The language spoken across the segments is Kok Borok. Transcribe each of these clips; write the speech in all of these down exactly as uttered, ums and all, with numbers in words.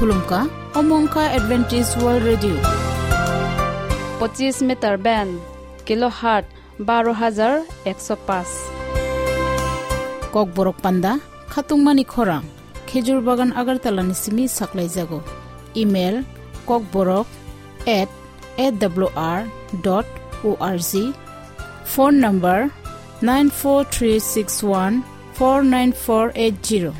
Khulumkha, omo wngkha Adventist World Radio. Pochis meter band, kilohertz baro hajar ekso paanch. Kokborok panda, khatungmani khorang, Khejur Bagan Agartala ni simi saklaijago. Email, kokborok at A W R dot O R G. Phone number, nine four three six one four nine four eight zero.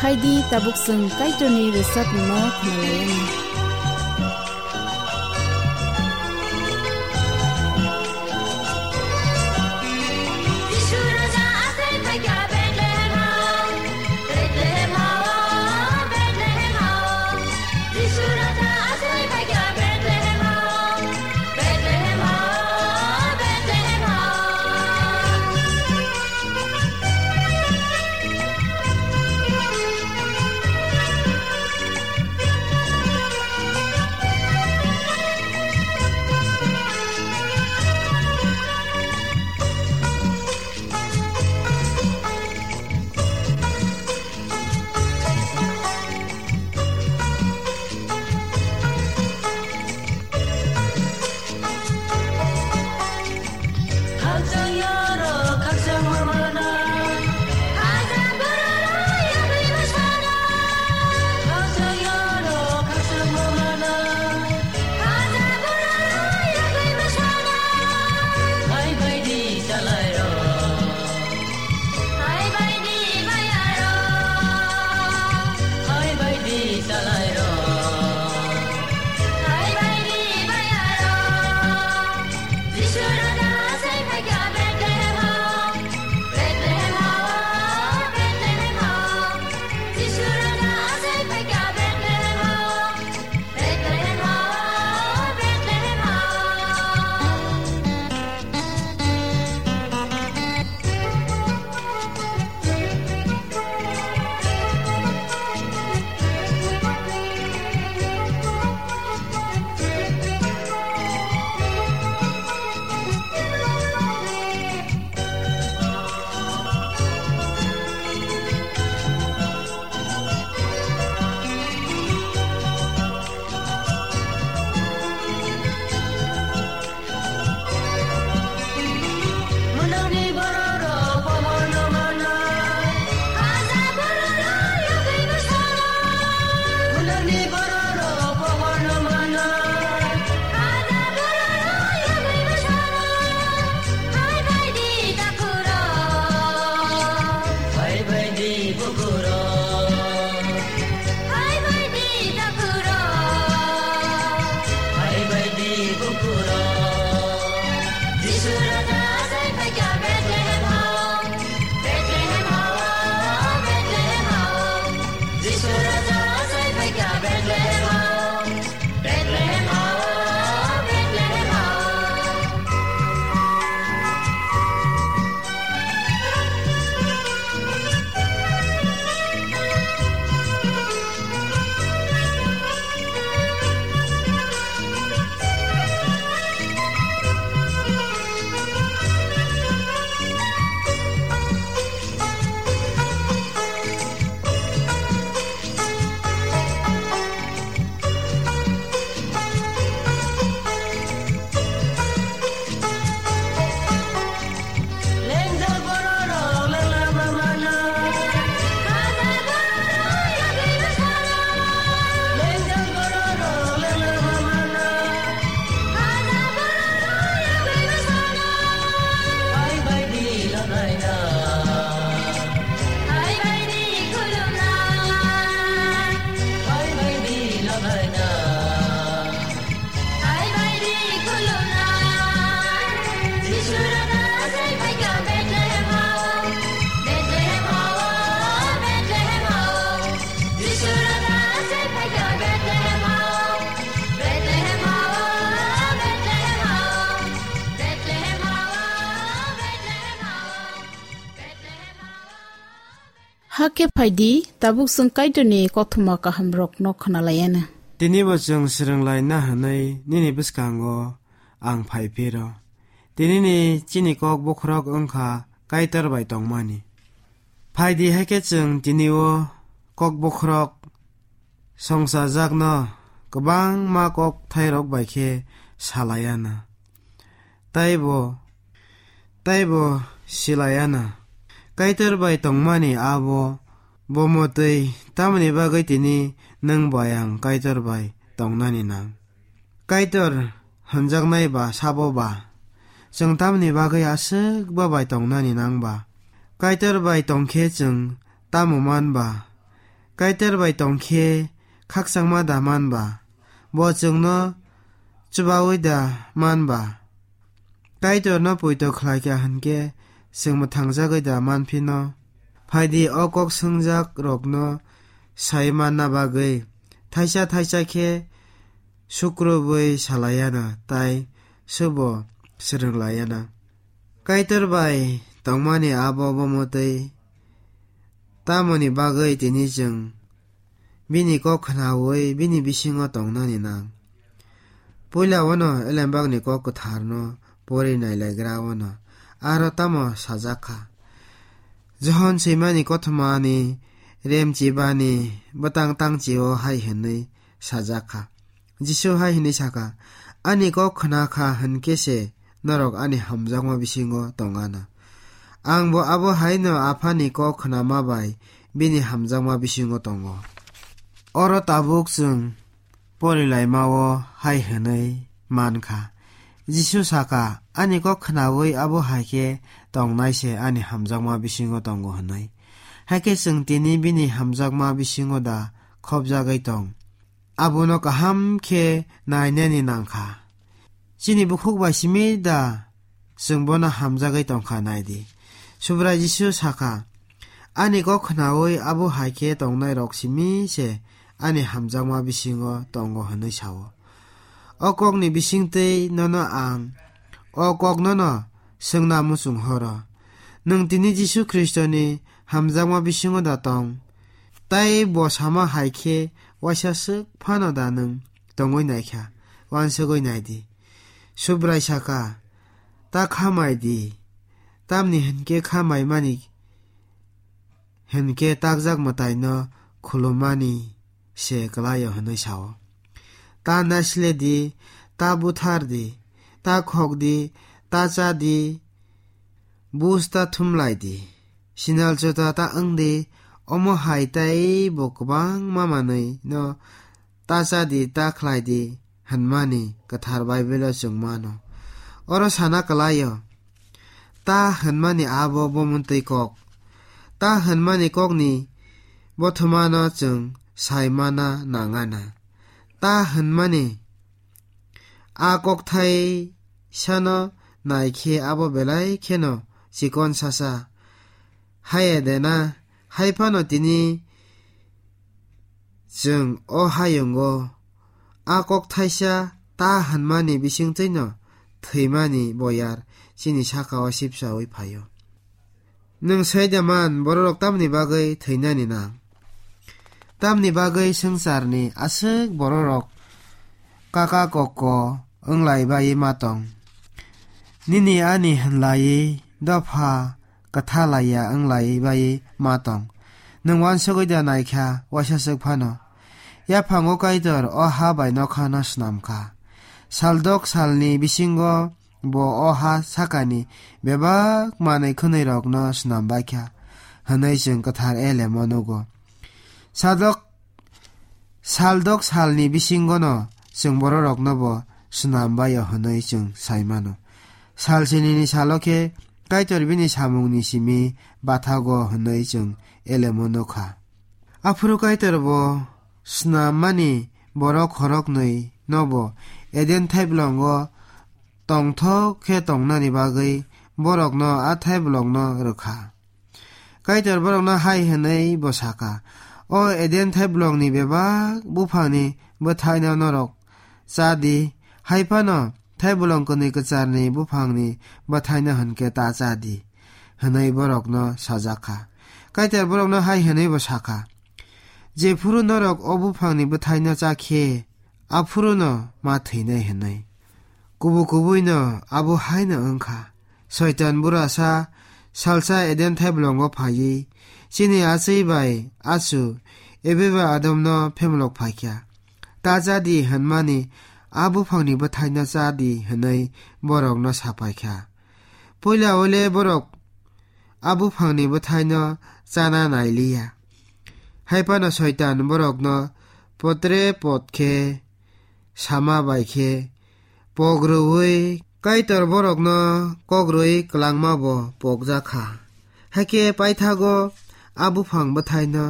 Phaidi, tabuk chwng Kaitorni rwchapmungno khwnalaiyani. Hakhe phai di, tabuk chwng Kaitorni kothoma kahamrokno khna lai anw. Tini bo chwng swrwng laina hwnwi nini bwskango ang phai phiro. Tinini chini kok bokhorok wng kha Kaitor bai tongmani. Phai di, hakhe chwng tini o kok bokhorok songchajakno kwbangma kok thairok bai khe sa lai anw. Taibo, taibo si lai anw. Kaitor bai tongmani abo bo mwtwi tamoni bagwi tini nwng bai ang Kaitor bai tongnani nang? Kaitor hwnjaknai ba sabo ba? Chwng tamoni bagwi aswk bo bai tongnani nang ba? Kaitor bai tong khe chwng tamo man ba? Kaitor bai tong khe khakchangma da man ba? Bo chwngno chubaui da man ba? Kaitorno poito khlai kha hwn khe chwng mwthangjagwi da man phino? Phai di, o kok swngjak rokno sai manna bagwi thaisa thaisa khe sukrubwi sa lai anw, tai subo swrwng lai anw. Kaitor bai tongmani abo bo mwtwi tamoni bagwi tini chwng bini kok khnaui bini bisingo tongnani nang? Puila wano Elembakni kok kwtharno pori nailaigra wano aro tamo sajak kha? Johon swimani kothomani remchibani bwtang tangchio hai hwnwi sajak kha. Jisu hai hwnwi sa kha, "Ani kok khna kha hwn khe se norok ani hamjakma bisingo tong anw. Ang bo abo hai'-no Aphani kok khnama bai bini hamjakma bisingo tongo." Oro tabuk chwng porilaima-o hai hwnwi man kha, Jisu sa kha, "Ani kok khnaui abo hai khe tongnai se ani hamjakma bisingo tongo," hwnwi. Hakhe chwng tini bini hamjakma bisingo da khopjagwi tong? Abono kaham khe nainani nang kha. Chini bukhuk bai simi da chwng bono hamjagwi tong kha? Nai di, Subrai Jisu sa kha, "Ani kok khnaui abo hai khe tongnai rok simi se ani hamjakma bisingo tongo," hwnwi sa-o. O kokni bisingtwi nono ang o kok nono swngna muchung horo. Nwng tini Jisu Khristoni hamjakma bisingo da tong? Tai bo sama hai khe waisa swk phano da nwng tongwi nai kha? Uansugwi nai di. Subrai sa kha, "Ta kha mai di, tamni hwn khe kha mai mani hwn khe takjak mwtaino khulummani se kwlai-o," hwnwi sa-o. "Ta naisle di, ta buthar di, ta khok di, ta cha di, bus ta thum lai di, sinal jota ta wng di, omo hai tei bo kwbangma manwi no ta cha di, ta khlai di," hwnmani Kwthar Baibelo chwng mano. Oro sana kwlai-o, ta hwnmani abo bo mwtwi kok. Ta hwnmani kokni bothomano chwng sai mana nang ana. Ta hwnmani a kokthai sano nai khe abo belai kheno chikon sasa. Haiya de na, hai phano tini chwng o hayungo a kok thaisa ta hwnmani bisingtwino thwimani boyar chini saka-o sipsaui phaio. Nwng sai da man, bororok tamni bagwi thwinani nang? Tamni bagwi swngcharni aswk bororok kaka kokko wnglai bai ma tong? Nini ani hwnlai dopha kwtha laiya wnglai bai ma tong? Nwng uansugwi da nai kha waisa swk phano? Yaphango Kaitor o ha bai nokhano snam kha. Saldok salni bisingo bo o ha sakani bebak manwi khwnwirokno snam bai kha hwnwi chwng Kwthar Elemo nugo. Sadok, saldok salni bisingono chwng bororokno bo snam bai-o hwnwi chwng sai mano. Sal sinini salo khe Kaitor bini samungni simi bathago hwnwi chwng Elemo nukha. Aphuru Kaitor bo snammani borok khoroknwi no bo Eden thaiblongo tongthok khe tongnani bagwi borokno a thaiblongno rwkha. Kaitor borokno hai hwnwi bo sakha, "O Eden thaiblongni bebak buphangni bwthaino norok cha di, hai phano thaiblong kwnwi kwcharni buphangni bwthaino hwn khe ta cha di," hwnwi borokno sajak kha. Kaitor borokno hai hwnwi bo sa kha, "Jephuru norok o buphangni bwthaino cha khe, aphuruno ma thwinai," hwnwi. Kubu kubuino abo haino wng kha. Soitan burasa salsa Eden thaiblongo phaiwi chini achwi bai achu Eva bai Adamno phemlok phai kha. Ta cha di hwnmani a buphangni bwthaino cha di hwnwi borokno sa pai kha. Puila wle borok a buphangni bwthaino chana nai liya. Hai phano Soitan borokno potre pot khe sama bai khe pok rwui Kaitor borokno kok rwui kwlangma bo pokjak kha. Hakhe paithago a buphang bwthaino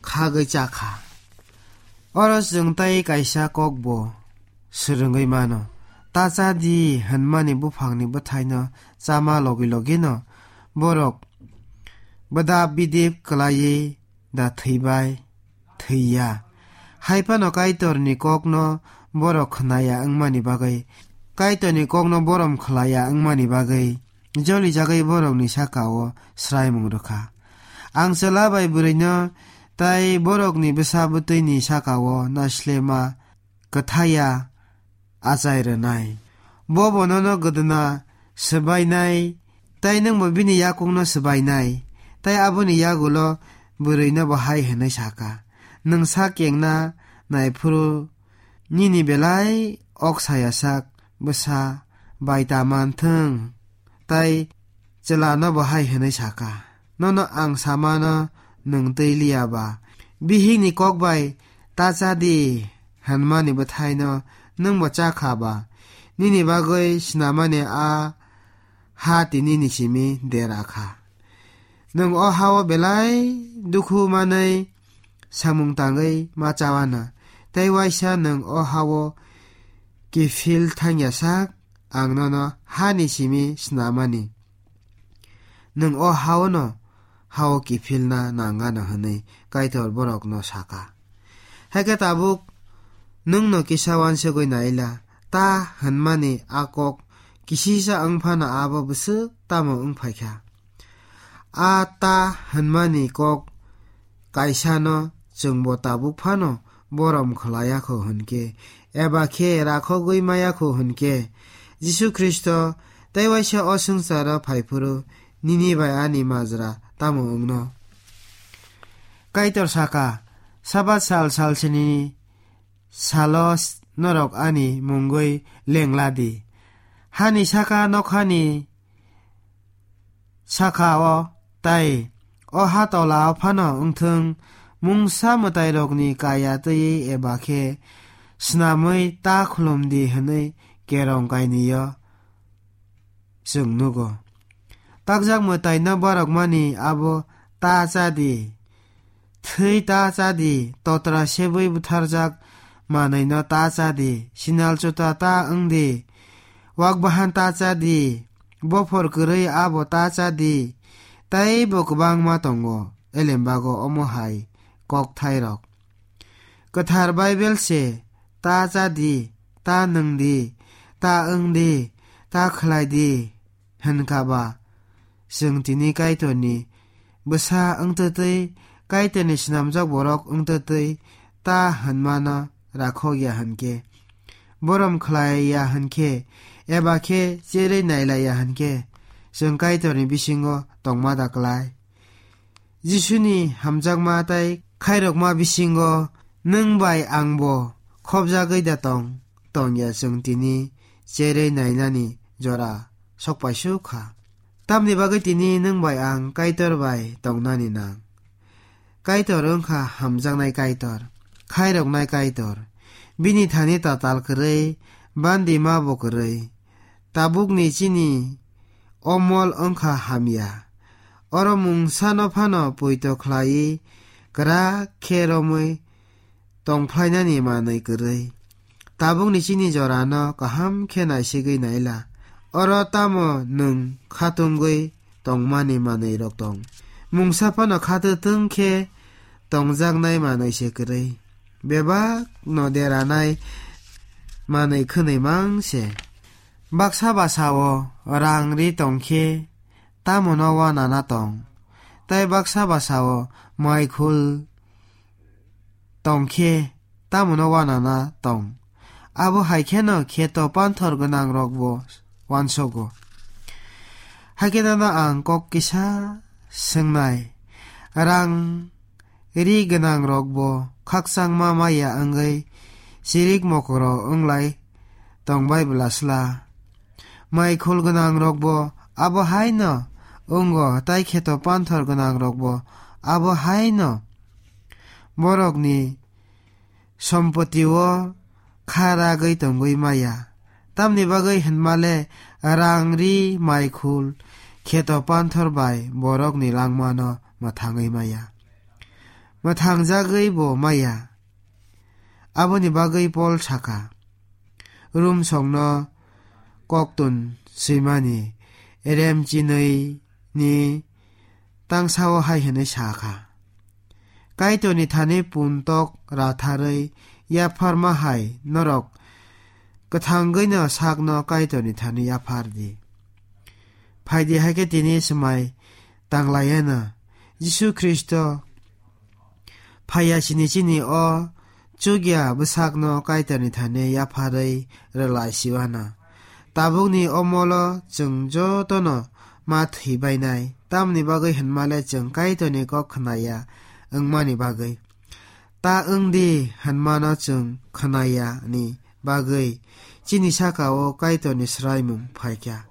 khagwi cha kha. Oro chwng tei kaisa kok bo swrwngwi mano. Ta cha di hwnmani buphangni bwthaino chama logi logino borok bwdap bidip kwlaiwi da thwibai thwiya. Hai phano Kaitorni kokno borok khnaya wngmani bagwi, Kaitorni kokno borom khlaya wngmani bagwi, jolijagwi borokni saka-o sraimung rwkha. Ang chwla bai bwrwino tei borokni bwsa bwtwini saka-o naisle ma kwthaya achai rwnai. Bo bo nono gwdwna swbainai, tei nwngbo bini yakungno swbainai. Tei aboni yagulo bwrwino bo hai hwnwi sa kha, "Nwng sak kengna naiphuru nini belai ok saya sak bwsa bai ta man thung." Tei chwlano bo hai hwnwi sa kha, "Nono ang samano nwng twi liya ba? Bihikni kok bai ta cha di hwnmani bwthaino nwng bo cha kha ba? Nini bagwi snamani a ha tini ni simi dera kha. Nwng o ha-o belai dukhu manwi samung tangwi ma cha wana, tei waisa nwng o ha-o kiphil thangya sak ang nono hani simi snamani. Nwng o ha-o no ha-o kiphilna nang gana," hwnwi Kaitor borokno sa kha. Hai khe tabuk nwngno kisa uansugwi naila, ta hwnmani a kok kisisa wng phano abo bwswk tamo wng phai kha? A ta hwnmani kok kaisano chwngbo tabuk phano borom khlai ya kho hwn khe, eba khe rakhogwi maya kho hwn khe, Jisu Khristo tei waisa o swngcharo phai phuru nini bai ani majra tamo wngno? Kaitor sa kha, "Sabat sal salsini salo norok ani mungwi lengla di. Hani saka nokhani saka-o tei o ha tola-o phano wngthung, mungsa mwtairokni kaya twiwi eba khe snamwi ta khulum di," hwnwi kerong kainwi-o chwng nugo. Takjak mwtaino borokmani abo ta cha di, thwi ta cha di, totra sebwi butharjak manwino ta cha di, sinal chuta ta wng di, wak bahan ta cha di, bophor kwrwi abo ta cha di, tei bo kwbangma tongo elembago omo hai kokthairok. Kwthar Baibel se, "Ta cha di, ta nwng di, ta wng di, ta khlai di," hwn kha ba, chwng tini Kaitorni bwsa wngtwtwi, Kaitorni swnamjak borok wngtwtwi ta hwnmano rakhok ya hwn khe, borom khlai ya hwn khe, eba khe cherwi nailai ya hwn khe, chwng Kaitorni bisingo tongma da klai? Jisuni hamjakma tei khairokma bisingo nwng bai angbo khopjagwi da tong? Tongya, chwng tini cherwi nainani jora sokpaisuk kha. Tamni bagwi tini nwng bai ang Kaitor bai tongnani nang? Kaitor wngkha hamjaknai Kaitor, khairoknai Kaitor. Bini thani tatal kwrwi, bandima bo kwrwi. Tabukni chini omol wngkha hamya. Oro mungsano phano poito khlaiwi kwrak khe romwi tongphlainani manwi kwrwi. Tabukni chini jorano kaham khe naisigwi naila. Oro tamo nwng khatungwi tongmani manwirok tong? Mungsa phano khatwtwng khe tongjaknai manwi se kwrwi. Bebak no deranai manwi khwnwi mang se. Baksa basa-o rang ri tong khe tamo no uanana tong? tei baksa basao mai khul tong khe tamono uanana tong. Abo hai kheno kheto panthor gwnang rokbo uansogo. Hakhe nono ang kok kisa swngnai, rang ri gwnang rokbo khakchangma maya wngwi chirik mokoro wnglai tongbai bwlasla. Mai khul gwnang rokbo abo haino wngo, tai kheto panthor gwnang rokbo abo haino borokni sompotio kha ragwi tongwi maya. Tamni bagwi hinmale rang ri mai khul kheto panthor bai borokni langmano mwthangwi maya. Mwthangjagwi bo maya. Aboni bagwi Pol sakha, Rum songno koktun swimani rem chinwi ni tangsao hai hwnwi sa kha, Kaitorni thani puntok ratharwi yapharma hai norok kwthangwino sakno Kaitorni thani yaphar di. Phaidi hai khe tini swmai tanglaiano Jisu Khristo phaiya sini chini o chukya bwsakno Kaitorni thani yapharwi rwlai siwana. Tabukni o molo chwng jotono ma thwi bainai, tamni bagwi hinmale chwng Kaitorni kok khnaya wngmani bagwi. Ta wng di hinmano chwng khnaya ni bagwi chini saka-o Kaitorni swraimung phaikha.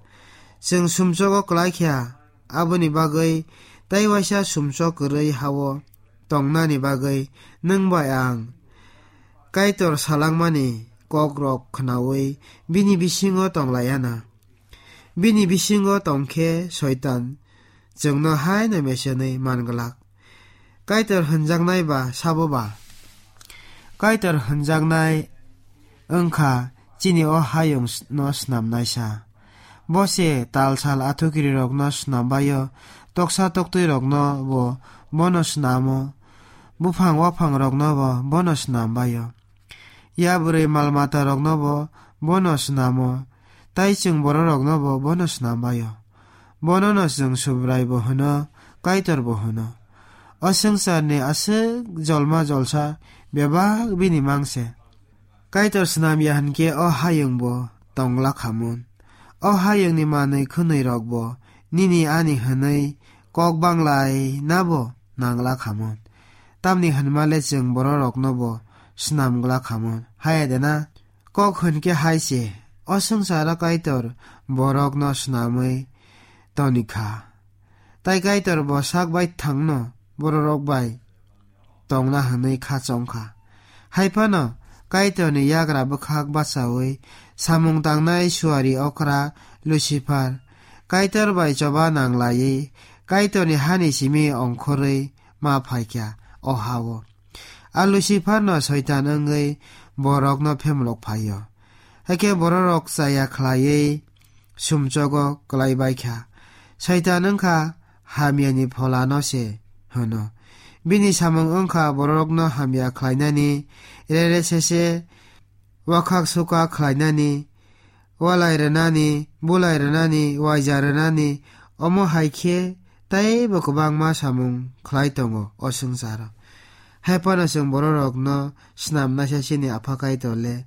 Chwng sumsogo klaikha, aboni bagwi tei waisa sumsok kwrwi ha-o tongnani bagwi nwng bai ang Kaitor salangmani kokrok khnaui bini bisingo tonglaiana. Bini bisingo tongkhe Soitan chwngno haino mesenwi manglak. Kaitor hwnjaknai ba sabo ba? Kaitor hwnjaknai wngkha chini o hayung s-, no snamnaisa. Bo se tal sal athukiri rokno snambaio, toksa toktwi rokno bo bono snamo, buphang waphang rokno bo bono snambaio. Ya bwrwi mal mata rokno bo bono snamo, tai chwng borok rokno bo bono snambaio. Bono no chwng Subrai bo hwno, Kaitor bo hwno. O swngcharni aswk jolma jolsa bebak bini mangse. Kaitor snamya hinkhe o hayung bo tongla khamun. O hayungni manwi khwnwi rok bo nini ani hwnwi kok banglai nabo nangla khamun. Tamni hwnmale chwng borok rokno bo snamgla khamun. Haya de na? Kok hwn khe hai se, o swngcharo Kaitor borokno snamwi toni kha. Tai Kaitor bo sak bai thangno bororok bai tongna hwnwi kha chong kha. Hai phano Kaitorni yagra bwkhak bachaui samung tangnai suari okra Lucifer Kaitor bai choba nang laiwi Kaitorni hani simi ongkhorwi ma phai kha o ha-o. A Luciferno Soitan wngwi borokno phemlok phai-o. Hakhe bororok chaya khlaiwi sumchogo klai bai kha. Soitan wng kha hamyani pholano se hwno. Bini samung wng kha bororokno hamya khlainani, rere sese wakhak sukak khlainani, walai rwnani, bulai rwnani, waija rwnani, omo hai khe teibo kwbangma samung khlai tongo o swngcharo. Hai phano chwng bororokno snamnaisa chini Apha Kaitor le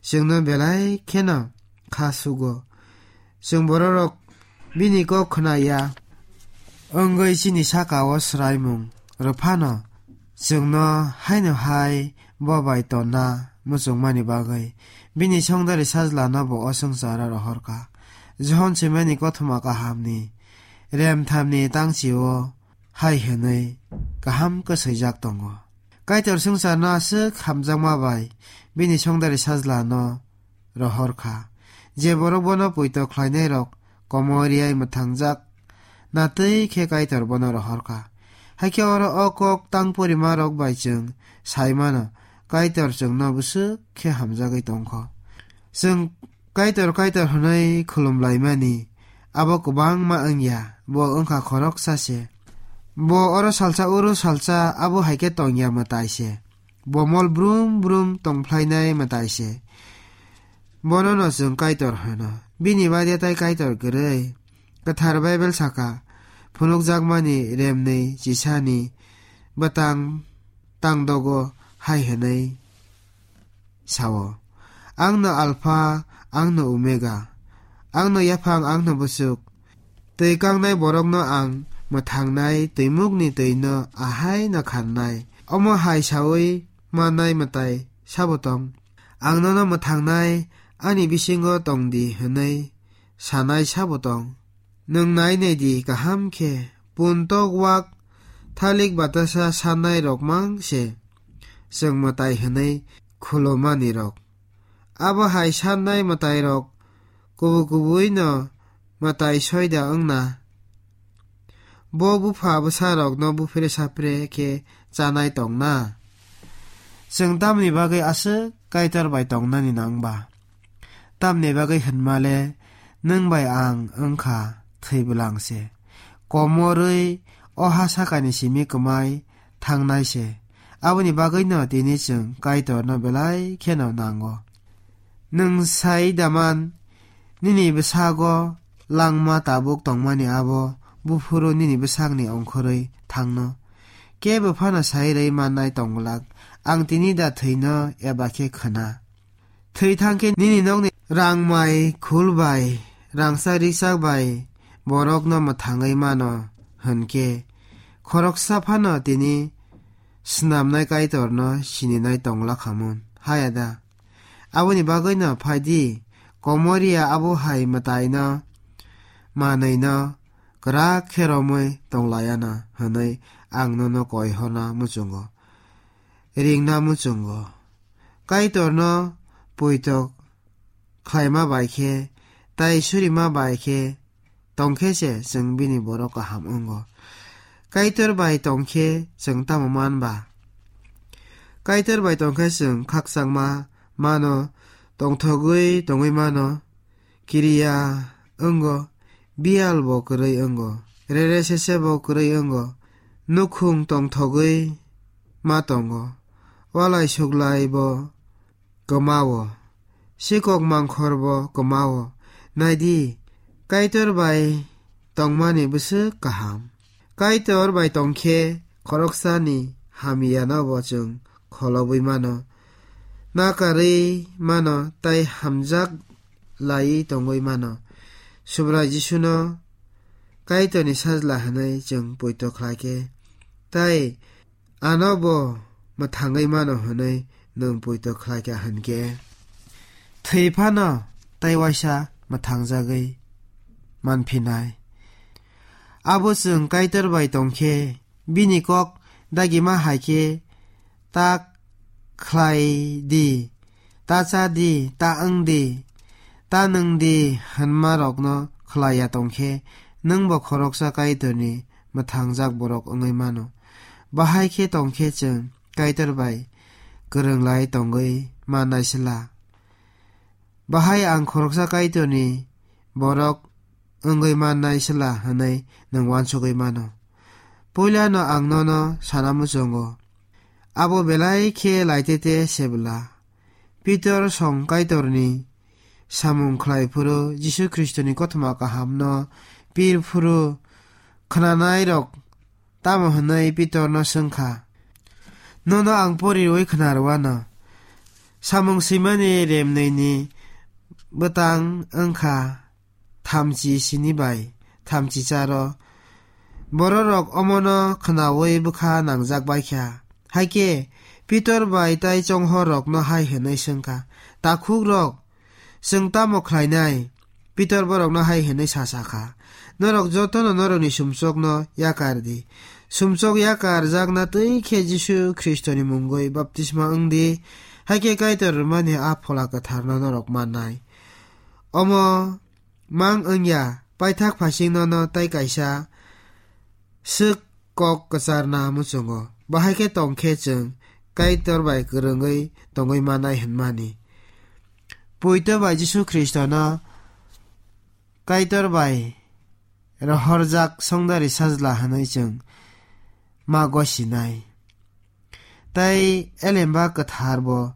chwngno belai kheno kha sugo. Chwng bororok bini kok khna ya wngwi chini saka-o swraimung rw phano, chwngno haino hai bo bai tonna muchungmani bagwi bini songdari sajlano bo o swngcharo rohor kha. Johon swimani kothoma kahamni remthamni tangchi-o hai hwnwi kaham kwswijak tongo. Kaitor swngcharno aswk hamjakma bai bini songdari sajlano rohor kha. Je borok bono poito khlainairok komoriyai mwthangjak, natwi khe Kaitor bono rohor kha. Hakhe oro o kok tang porimarok bai chwng sai mano, Kaitor chwngno bwswk khe hamjagwi tong kho. Chwng Kaitor, Kaitor hwnwi khulum laimani abo kwbangma wng ya, bo wng kha khoroksa se. Bo oro salsa, oro salsa, abo hai khe tong ya mwtai se. Bo mol brum brum tong phlainai mwtai se. Bono no chwng Kaitor hwno. Bini baide tai Kaitor kwrwi. Kwthar Baibel saka, phunukjakmani remnwi chisani bwtang tangdogo hai hwnwi sao, "Angno Alpha, angno Omega, angno yaphang, angno bwswk. Twi kangnai borokno ang mwthangnai twimukni twino ahai no kharnai." Omo hai saui mannai mwtai sabo tong? "Ang nono mwthangnai, ani bisingo tong di," hwnwi sanai sabo tong? Nwng nai nai di kaham khe, puntok wak thalik batasa sannai rok mang se chwng mwtai hwnwi khulumani rok. Abo hai sannai mwtai rok kubu kubui no mwtai soida wngna. Bo bupha bwsa rok no buphre sapre khe chanai tongna. Chwng tamni bagwi aswk Kaitor bai tongnani nang ba? Tamni bagwi hwnma le nwng bai ang wngkha thwi bwlang se. Komorwi o ha sakani simi kwmai thangnai se. Aboni bagwino tini chwng Kaitorno belai kheno nango. Nwng sai daman, nini bwsago langma tabuk tongmani abo buphuru nini bwsakni ongkhorwi thangno. Kebo phano sai rwi mannai tongglak, ang tini da thwino eba khe khwna. Thwi thang khe nini nokni rangmai khul bai, rangchak rikchak bai borokno mwthangwi mano hwn khe, khoroksa phano tini snamnai Kaitorno sininai tongla khamun, haya da? Aboni bagwino phai di, komoriya abo hai mwtaino manwino kwrak khe romwi tonglayana hwnwi ang nono koi horna muchungo, ringna muchungo. Kaitorno poito khlaima bai khe, tai surima bai khe tong khe se chwng bini borok kaham wngo. Kaitor bai tong khe chwng tamo man ba? Kaitor bai tong khe chwng khakchangma mano, tongthogwi tongwi mano, kiriya wngo, biyal bo kwrwi wngo, rere sese bo kwrwi wngo, nukhung tongthogwi ma tongo, walai suklai bo kwmao, sikok mangkhor bo kwmao. Nai di, Kaitor bai tongmani bwswk kaham. Kaitor bai tong khe khoroksani hamyano bo chwng kholobwi mano, nakarwi mano tei hamjak laiwi tongwi mano. Subrai Jisuno Kaitorni sajla hwnwi chwng poito khlai khe, tei ano bo mwthangwi mano hwnwi nwng poito khlai kha hwn khe, thwi phano tei waisa mwthangjagwi manphinai. Abo chwng Kaitor bai tong khe, bini kok dagima hai khe, "Ta khlai di, ta cha di, ta wng di, ta nwng di," hwnma rokno khlai ya tong khe, nwng bo khoroksa Kaitorni mwthangjak borok wngwi mano. Bahai khe tong khe chwng Kaitor bai kwrwng lai tongwi mannai sla. Bahai ang khoroksa Kaitorni borok wngwi mannai sla hwnwi nwng uansugwi mano. Puilano ang nono sana muchungo, abo belai khe laitete se bwla. Pitor song Kaitorni samung khlai phuru, Jisu Khristoni kothoma kahamno pir phuru, khnanairok tamo hwnwi Pitorno swng kha. Nono ang pori rwui khna rwano. Samung swimani remnwini bwtang wng kha thamchi sini bai thamchi charo. Bororok omono khnaui bwkha nangjak bai kha. Hai khe Pitor bai tai chonghorrokno hai hwnwi swng kha, "Takhukrok, chwng tamo khlainai?" Pitor borokno hai hwnwi sa sa kha, "Norok jotono norokni sumsokno yakar di. Sumsok yakarjakna twi khe Jisu Khristoni mungwi baptisma wng di, hai khe Kaitor rwmani a Phola Kwtharno norok mannai. Omo mang wng ya, paithak phasing nono tei kaisa swk kok kwcharna muchungo. Bahai khe tong khe chwng Kaitor bai kwrwngwi tongwi manai hwnmani." Poito bai Jisu Khristono Kaitor bai rohorjak songdari sajla hwnwi chwng ma gosinai. Tei elemba kwthar bo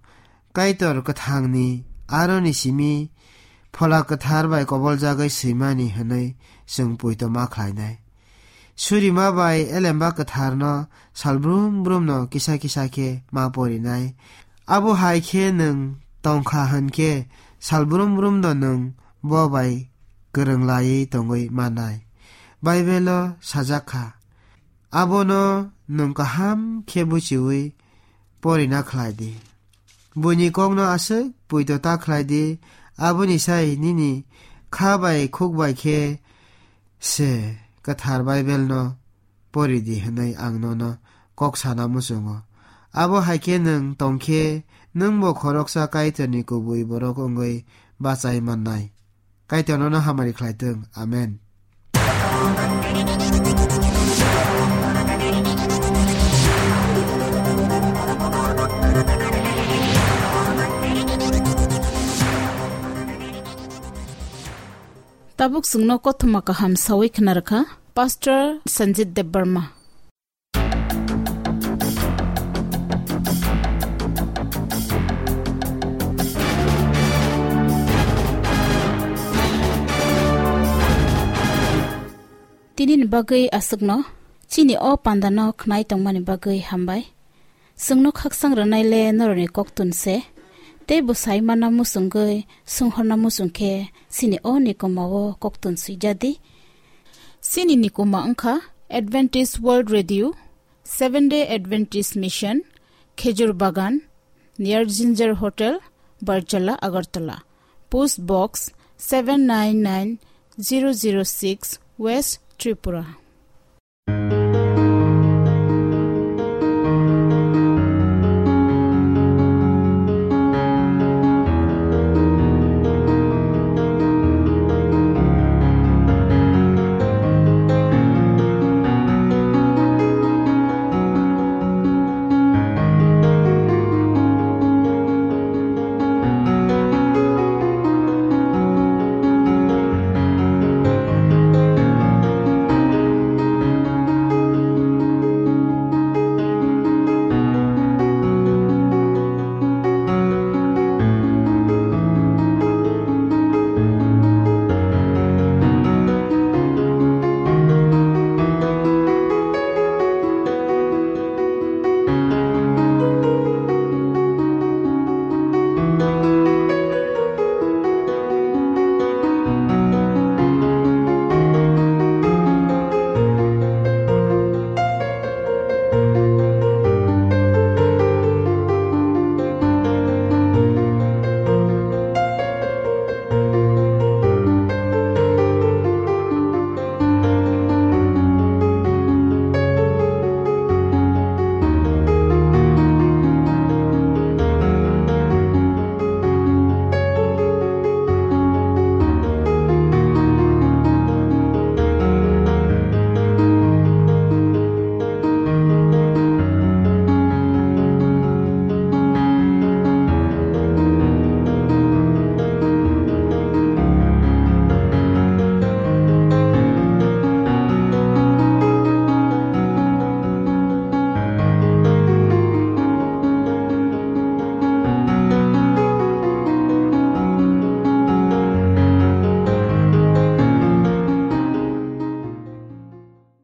Kaitor kwthangni aroni simi Phola Kwthar bai koboljagwi swimani hwnwi chwng poito ma khlainai. Surima bai elemba kwtharno salbrum brumno kisa kisa khe ma porinai. Abo hai khe nwng tongkha hwn khe salbrum brumno nwng bo bai kwrwng laiwi tongwi mannai. Baibelo sajak kha. Abono nwng kaham khe buchiwi porina khlai di. Buini kokno aswk poito ta khlai di, aboni sai nini kha bai khuk bai khe se kwthar Baibelno pori di hwnwi ang nono kok sana muchungo. Abo hai khe nwng tong khe nwng bo khoroksa Kaitorni kubui borok wngwi bachai mannai. Kaitor nono hamari khlai thung. Amen. Tabuk chwngno kothoma kaham sawi khna rwkha Pastor Sanjit Debbarma. Tini ni bagwi aswkno, chini o panda no khnai tongmani bagwi hambai. Chwngno khakchang rwnai le norokni koktun se, tei bwsai mana muchungwi sunghorna muchung khe chini o nikoma o koktun swijadi. Chini nikoma wngkha Adventist World Radio, Seventh Day Adventist Mission, Khejur Bagan, near Ginger Hotel, Barjala, Agartala. Post Box seven nine nine zero zero six, West Tripura.